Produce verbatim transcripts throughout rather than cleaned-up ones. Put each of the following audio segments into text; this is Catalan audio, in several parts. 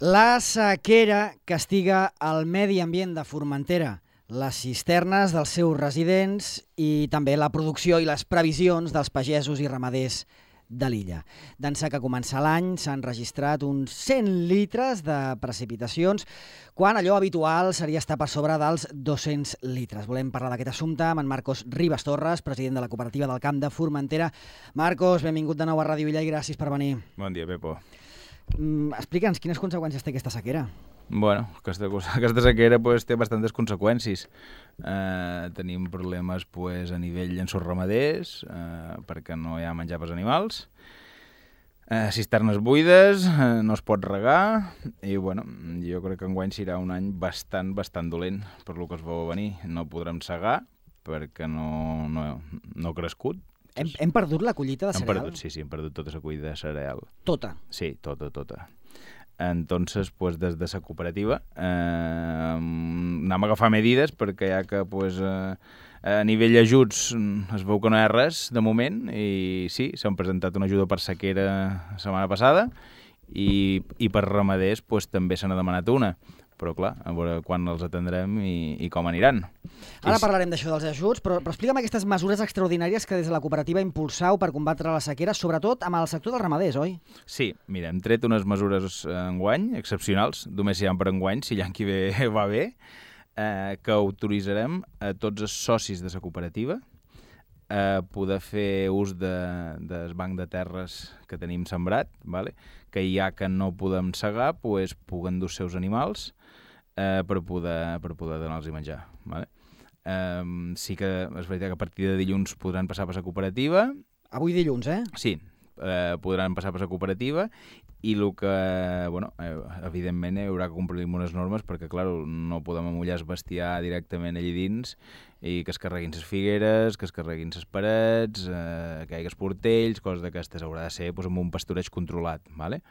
La sequera castiga el medi ambient de Formentera, les cisternes dels seus residents i també la producció i les previsions dels pagesos i ramaders de l'illa. D'ençà que comença l'any s'han registrat uns cent litres de precipitacions, quan allò habitual seria estar per sobre dels dos-cents litres. Volem parlar d'aquest assumpte amb en Marcos Ribas Torres, president de la cooperativa del Camp de Formentera. Marcos, benvingut de nou a Ràdio Illa i gràcies per venir. Bon dia, Pepo. Mm, Explica'ns, quines conseqüències té aquesta sequera? Bueno, aquesta, aquesta sequera pues, té bastantes conseqüències. Eh, tenim problemes pues, a nivell llenços ramaders, eh, perquè no hi ha menjar pels animals, eh, cisternes buides, eh, no es pot regar, i bueno, jo crec que enguany serà un any bastant, bastant dolent per lo que es veu a venir. No podrem segar perquè no, no, no ha crescut. Hem, hem perdut la collita de hem cereal? Perdut, sí, sí, hem perdut tota la collita de cereal. Tota? Sí, tota, tota. Entonces, pues, des de la cooperativa eh, anem a agafar medides perquè ja que pues, eh, a nivell ajuts es veu que no hi ha res de moment i sí, s'han presentat una ajuda per sequera la setmana passada i, i per ramaders pues, també se n'ha demanat una. Però clar, a veure quan els atendrem i, i com aniran. Ara parlarem d'això dels ajuts, però, però explica'm aquestes mesures extraordinàries que des de la cooperativa impulsau per combatre la sequera, sobretot amb el sector dels ramaders, oi? Sí, mira, hem tret unes mesures enguany, excepcionals, només hi ha per enguany, si l'any que ve va bé, eh, que autoritzarem a tots els socis de la cooperativa a poder fer ús de, del banc de terres que tenim sembrat, vale? Que ja que no podem segar, pues, puguen dur els seus animals eh, per poder, per poder donar-los menjar. Vale? Eh, sí que és veritat que a partir de dilluns podran passar per la cooperativa. Avui dilluns, eh? Sí, eh, podran passar per la cooperativa i el que, bueno, eh, evidentment hi haurà que complir unes normes perquè, clar, no podem amullar el bestiar directament allà dins i que es carreguin les figueres, que es carreguin les parets, eh, que hi hagi els portells, coses d'aquestes. Haurà de ser pues, amb un pastureig controlat, ¿vale?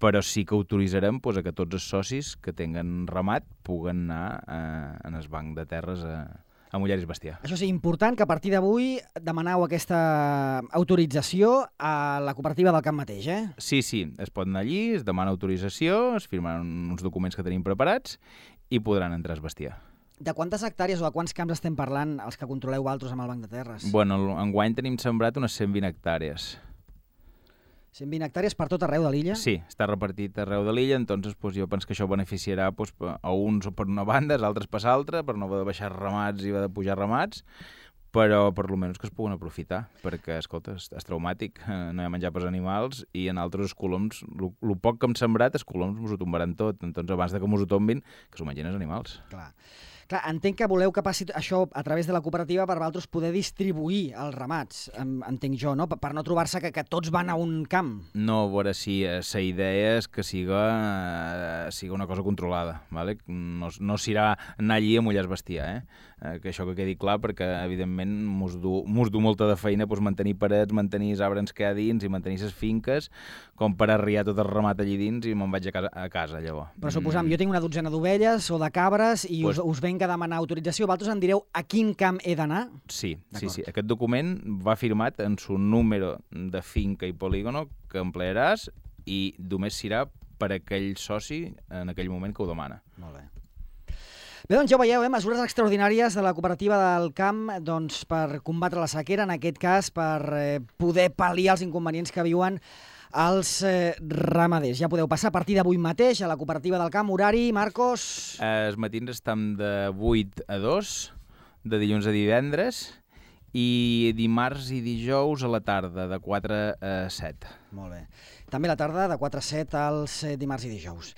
Però sí que autoritzarem pues, a que tots els socis que tinguen ramat puguen anar eh, en el banc de terres a, a mullar el bestiar. Això sí, important que a partir d'avui demaneu aquesta autorització a la cooperativa del camp mateix, eh? Sí, sí, es pot anar allí, es demana autorització, es firmen uns documents que tenim preparats i podran entrar al bestiar. De quantes hectàrees o de quants camps estem parlant els que controleu altres amb el banc de terres? Bueno, enguany tenim sembrat unes cent vint hectàrees. cent vint hectàrees per tot arreu de l'illa? Sí, està repartit arreu de l'illa, entonces pues, jo penso que això beneficiarà pues, a uns per una banda, als altres per l'altra, per no haver de baixar ramats i haver de pujar ramats, però per lo menys que es puguen aprofitar, perquè, escolta, és, és traumàtic, no hi ha menjar pels animals i en altres els coloms, el poc que hem sembrat, els coloms mos ho tombaran tot, entonces abans de que mos ho tombin, que s'ho mengin els animals. Clar. Clar, entenc que voleu que passi això a través de la cooperativa per vosaltres poder distribuir els ramats, entenc jo, no? Per no trobar-se que, que tots van a un camp. No, a veure si la idea és que siga, eh, siga una cosa controlada, ¿vale? No, no serà anar allí a mullar el bestiar, eh? eh? Que això que quedi clar, perquè evidentment mos du, mos du molta de feina pues, mantenir parets, mantenir els arbres que hi ha dins i mantenir les finques, com per arriar tot el ramat allí dins i me'n vaig a casa, a casa llavors. Però suposam, mm. jo tinc una dotzena d'ovelles o de cabres i pues, us, us venc a demanar autorització, vosaltres em direu a quin camp he d'anar? Sí, sí, sí. Aquest document va firmat en su número de finca i polígono que emplearàs i només serà per aquell soci en aquell moment que ho demana. Molt bé. Bé, doncs ja ho veieu, eh? Mesures extraordinàries de la cooperativa del camp doncs, per combatre la sequera, en aquest cas per eh, poder pal·liar els inconvenients que viuen els eh, ramaders. Ja podeu passar a partir d'avui mateix a la cooperativa del camp. Horari, Marcos? Eh, els matins estem de vuit a dos, de dilluns a divendres, i dimarts i dijous a la tarda, de quatre a set. Molt bé. També a la tarda, de quatre a set, als eh, dimarts i dijous.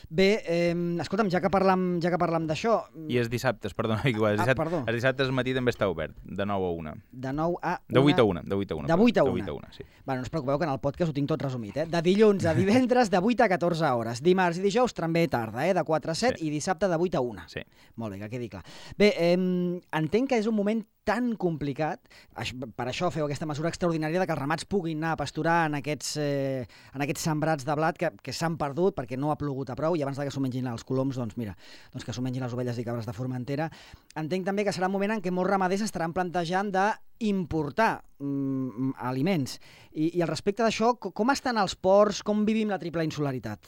Bé, eh, escolta'm, ja que parlam, ja que parlam d'això... I els dissabtes, perdona, igual, els ah, dissabtes, perdó. els dissabtes al matí també està obert, de nou a una. De nou a una... De vuit a una, de vuit a una. De vuit a una. De vuit a una, sí. Bueno, no us preocupeu que en el podcast ho tinc tot resumit, eh? De dilluns a divendres de vuit a catorze hores. Dimarts i dijous també tarda, eh? De quatre a set sí. I dissabte de vuit a una. Sí. Molt bé, que quedi clar. Bé, eh, entenc que és un moment tan complicat, per això feu aquesta mesura extraordinària de que els ramats puguin anar a pasturar en aquests, eh, en aquests sembrats de blat que, que s'han perdut perquè no ha plogut a prou i abans que s'ho mengin els coloms, doncs mira, doncs que s'ho mengin les ovelles i cabres de Formentera. Entenc també que serà un moment en què molts ramaders estaran plantejant d'importar mm, aliments. I, I al respecte d'això, com estan els ports, com vivim la triple insularitat?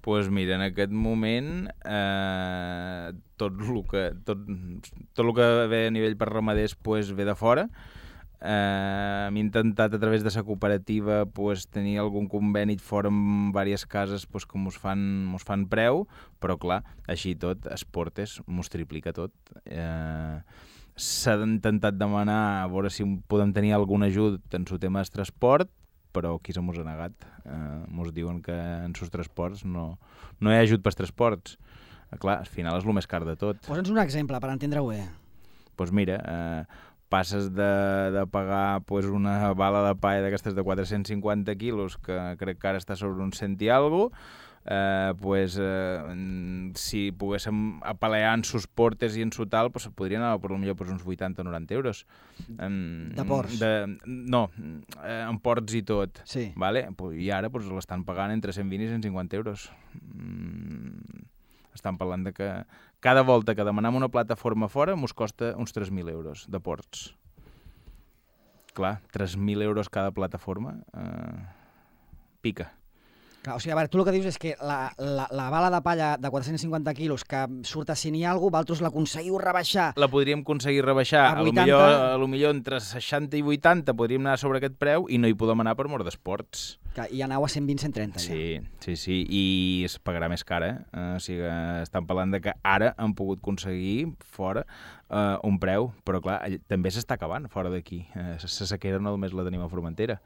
pues mira, en aquest moment eh, tot el que, tot, tot el que ve a nivell per ramaders pues, ve de fora. Eh, hem intentat a través de la cooperativa pues, tenir algun conveni fora amb diverses cases pues, que mos fan, mos fan preu, però clar, així tot, Esportes mos triplica tot. Eh, s'ha intentat demanar a veure si podem tenir algun ajut en el tema del transport, però aquí se mos ha negat. Eh, mos diuen que en sus transports no, no hi ha ajut pels transports. Eh, clar, al final és el més car de tot. Posa'ns un exemple per entendre-ho bé. Doncs pues mira, eh, passes de, de pagar pues, una bala de palla d'aquestes de quatre-cents cinquanta quilos, que crec que ara està sobre un cent i alguna cosa, eh, pues, eh, si poguéssim apalear en sus portes i en su tal, pues, podria anar per millor per uns vuitanta o noranta euros. Um, de ports? De, no, eh, en ports i tot. Sí. Vale? I ara pues, l'estan pagant entre cent vint i cent cinquanta euros. Mm, estan parlant de que cada volta que demanem una plataforma fora mos costa uns tres mil euros de ports. Clar, tres mil euros cada plataforma eh, pica. Clar, o sigui, a veure, tu el que dius és que la, la, la bala de palla de quatre-cents cinquanta quilos que surt a cent i alguna cosa, vosaltres l'aconseguiu rebaixar. La podríem aconseguir rebaixar, a a lo millor, a lo millor entre seixanta i vuitanta podríem anar sobre aquest preu i no hi podem anar per mort d'esports. I aneu a cent vint a cent trenta. Sí, ja. sí, sí, i es pagarà més cara. Eh? O sigui, estan parlant de que ara han pogut aconseguir fora eh, un preu, però clar, també s'està acabant fora d'aquí. Eh, la sequera no només la tenim a Formentera.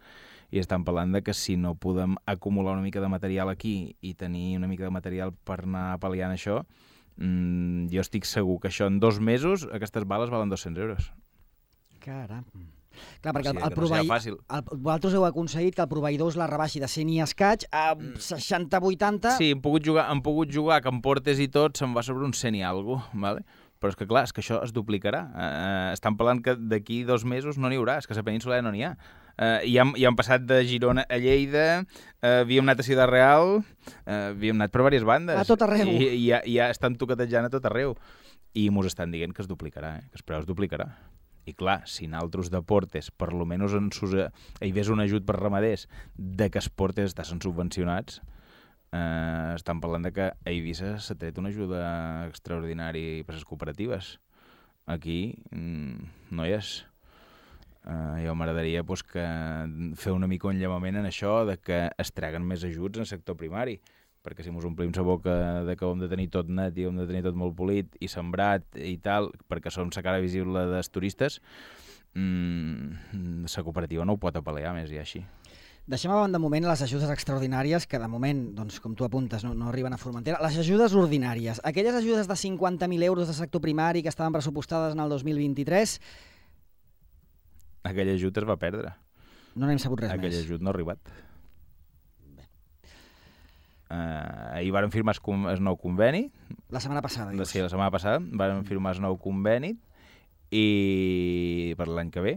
I estan parlant de que si no podem acumular una mica de material aquí i tenir una mica de material per anar pal·liant això, mmm, jo estic segur que això en dos mesos aquestes bales valen dos-cents euros. Caram. Clar, perquè o sigui, el, el proveïdor, el, vosaltres heu aconseguit que el proveïdor us la rebaixi de cent i escaig a seixanta vuitanta. Sí, hem pogut jugar, hem pogut jugar que en portes i tot se'n va sobre un cent i alguna cosa, vale? Però és que clar, és que això es duplicarà. Eh, estan parlant que d'aquí dos mesos no n'hi haurà, és que a la península ja no n'hi ha. Uh, i, hem, i hem passat de Girona a Lleida, uh, havíem anat a Ciutat Real, uh, havíem anat per diverses bandes. A tot arreu. I, i, ja, i ja estan toquetejant a tot arreu. I mos estan dient que es duplicarà, eh? Que el preu es duplicarà. I clar, si naltros de portes, per lo menys en sus, eh, hi hagués un ajut per ramaders de que els portes estan subvencionats, eh, estan parlant de que a Eivissa s'ha tret una ajuda extraordinària per les cooperatives. Aquí mm, no hi és. Uh, jo m'agradaria pues, que fer una mica un llamament en això de que es treguen més ajuts en el sector primari, perquè si mos omplim la boca de que hem de tenir tot net i hem de tenir tot molt polit i sembrat i tal, perquè som la cara visible dels turistes, mmm, la cooperativa no ho pot apalear més i així. Deixem a banda de moment les ajudes extraordinàries, que de moment, doncs, com tu apuntes, no, no arriben a Formentera. Les ajudes ordinàries, aquelles ajudes de cinquanta mil euros de sector primari que estaven pressupostades en el dos mil vint-i-tres... Aquell ajut es va perdre. No n'hem sabut res Aquell més. Aquell ajut no ha arribat. Bé. Uh, ahir varen firmar el nou conveni. La setmana passada, dius. Sí, la setmana passada varen firmar el nou conveni i per l'any que ve.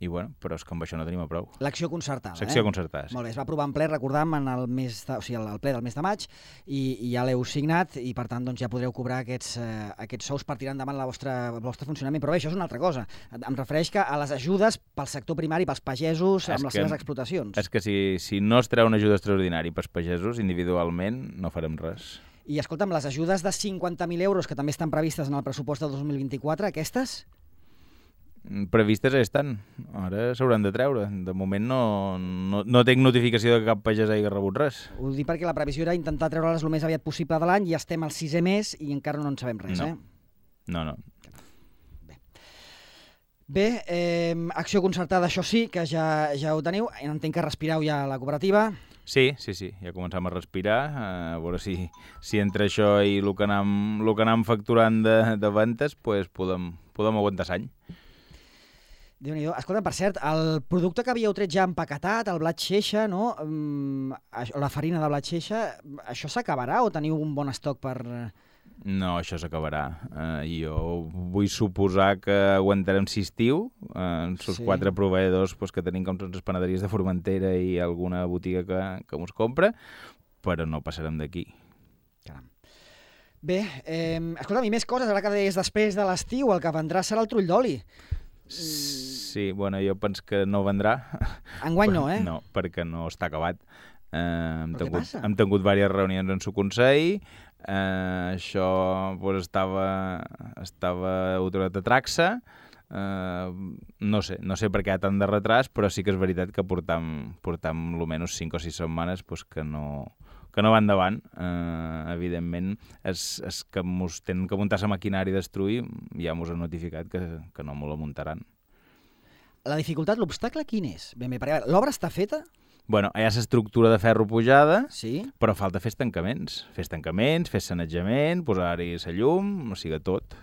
I bueno, però és que amb això no tenim a prou. L'acció concertada, L'acció eh? concertada, sí. Molt bé, es va aprovar en ple, recordam, en el mes de, o sigui, el ple del mes de maig, i, i ja l'heu signat, i per tant doncs, ja podreu cobrar aquests, eh, aquests sous per tirar endavant la vostra, el vostre funcionament. Però bé, això és una altra cosa. Em refereix que a les ajudes pel sector primari, pels pagesos, amb les seves explotacions. És que si, si no es treu una ajuda extraordinària pels pagesos, individualment, no farem res. I escolta'm, les ajudes de cinquanta mil euros, que també estan previstes en el pressupost del dos mil vint-i-quatre, aquestes... Previstes estan, ara s'hauran de treure. De moment no, no, no tinc notificació de que cap pagès hagi rebut res. Ho dic perquè la previsió era intentar treure-les el més aviat possible de l'any i estem al sisè mes i encara no en sabem res, no. eh? No, no. Bé, Bé eh, acció concertada, això sí, que ja, ja ho teniu. Entenc que respireu ja a la cooperativa. Sí, sí, sí, ja començam a respirar, a veure si, si entre això i el que anem, el que anem facturant de, de ventes pues podem, podem aguantar l'any. Déu-n'hi-do. Escolta, per cert, el producte que havíeu tret ja empaquetat, el blat xeixa, no? Um, la farina de blat xeixa, això s'acabarà o teniu un bon estoc per... No, això s'acabarà. Uh, jo vull suposar que aguantarem l'estiu, uh, els sí. quatre proveïdors pues, que tenim com són les panaderies de Formentera i alguna botiga que, que mos compra, però no passarem d'aquí. Caram. Bé, eh, escolta, i més coses, ara que deies després de l'estiu, el que vendrà serà el trull d'oli. Sí, bueno, jo penso que no vendrà. Enguany no, eh? No, perquè no està acabat. Eh, hem, Però què tingut, passa? hem tingut diverses reunions en su consell, eh, això pues, estava, estava autorat a Traxa, eh, no sé, no sé per què hi ha tant de retras, però sí que és veritat que portam, portam almenys cinc o sis setmanes pues, que no que no va endavant. Eh, evidentment, és, és que mos tenen que muntar la maquinària i destruir, ja mos han notificat que, que no m'ho la muntaran. La dificultat, l'obstacle, quin és? Ben bé, perquè l'obra està feta? Bueno, hi ha l'estructura de ferro pujada, Sí. però falta fer tancaments. Fer tancaments, fer sanejament, posar-hi la llum, o sigui, tot.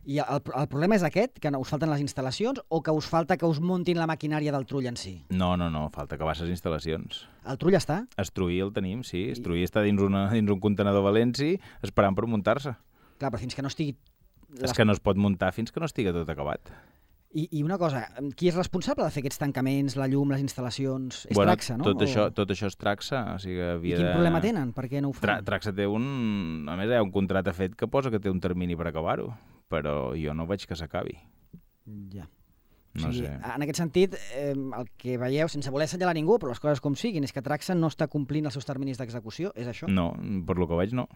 I el, el problema és aquest, que no us falten les instal·lacions, o que us falta que us muntin la maquinària del trull en si? No, no, no, falta acabar les instal·lacions. El trull està? Estruir el tenim, sí. Estruir està dins, una, dins un contenedor valenci esperant per muntar-se. Clar, però fins que no estigui... És que no es pot muntar fins que no estigui tot acabat. I, I una cosa, qui és responsable de fer aquests tancaments, la llum, les instal·lacions? És bueno, Traxa, no? Tot, o... això, tot això és Traxa. O sigui, havia I quin de... problema tenen? Per què no ho fan? Tra Traxa té un... A més, hi ha un contracte fet que posa que té un termini per acabar-ho, però jo no veig que s'acabi. Ja. No o sigui, sé. En aquest sentit, eh, el que veieu, sense voler assenyalar ningú, però les coses com siguin, és que Traxa no està complint els seus terminis d'execució, és això? No, per lo que veig, no.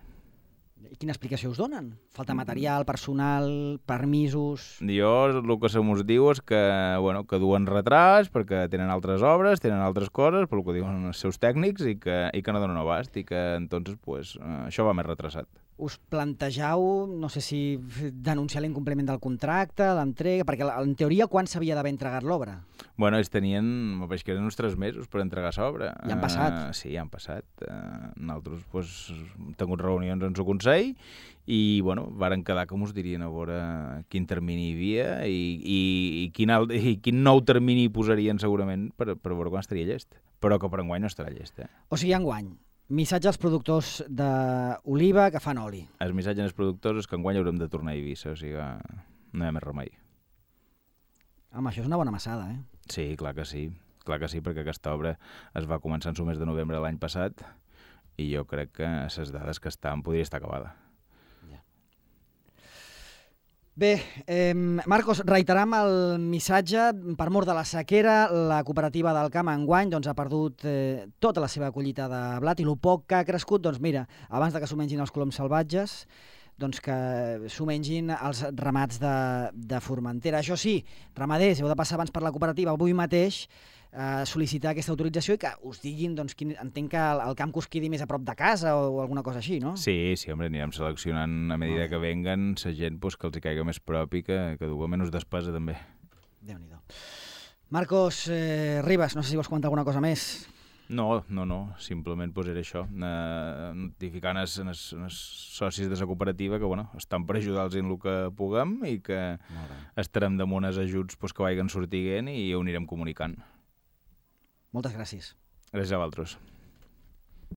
I quina explicació us donen? Falta material, personal, permisos... Jo el que se mos diu és que, bueno, que duen retras perquè tenen altres obres, tenen altres coses, per el que diuen els seus tècnics, i que, i que no donen abast, i que entonces, pues, eh, això va més retrasat. Us plantegeu, no sé si denunciar l'incompliment del contracte, l'entrega, perquè en teoria quan s'havia d'haver entregat l'obra? Bueno, ells tenien, me pareix que eren uns tres mesos per entregar l'obra. Ja han passat. Uh, sí, ja han passat. Uh, nosaltres pues, hem tingut reunions en el Consell i bueno, varen quedar que mos dirien a veure quin termini hi havia i, i, i, quin, alt, i quin nou termini posarien segurament per, per veure quan estaria llest. Però que per enguany no estarà llest. Eh? O sigui, enguany, missatge als productors d'oliva que fan oli. El missatge als productors és que enguany haurem de tornar a Eivissa, o sigui que no hi ha més remei. Home, això és una bona massada, eh? Sí, clar que sí. Clar que sí, perquè aquesta obra es va començar en el mes de novembre de l'any passat i jo crec que les dades que estan podria estar acabada. Ja. Bé, eh, Marcos, reiteram el missatge. Per mort de la sequera, la cooperativa del Camp enguany doncs, ha perdut eh, tota la seva collita de blat i el poc que ha crescut, doncs mira, abans de que s'ho mengin els coloms salvatges, doncs que s'ho mengin els ramats de, de Formentera. Això sí, ramaders, heu de passar abans per la cooperativa avui mateix, eh, sol·licitar aquesta autorització i que us diguin, doncs, quin, entenc que el, el camp que us quedi més a prop de casa o, o alguna cosa així, no? Sí, sí, home, anirem seleccionant a medida que venguen la gent pues, que els hi caiga més prop i que, que duga menys despesa també. Déu-n'hi-do. Marcos eh, Ribas, no sé si vols comentar alguna cosa més. No, no, no, simplement pues, era això, eh, notificant els, els, els socis de la cooperativa que bueno, estan per ajudar-los en el que puguem i que estarem damunt els ajuts pues, que vagin sortint i ho anirem comunicant. Moltes gràcies. Gràcies a vosaltres.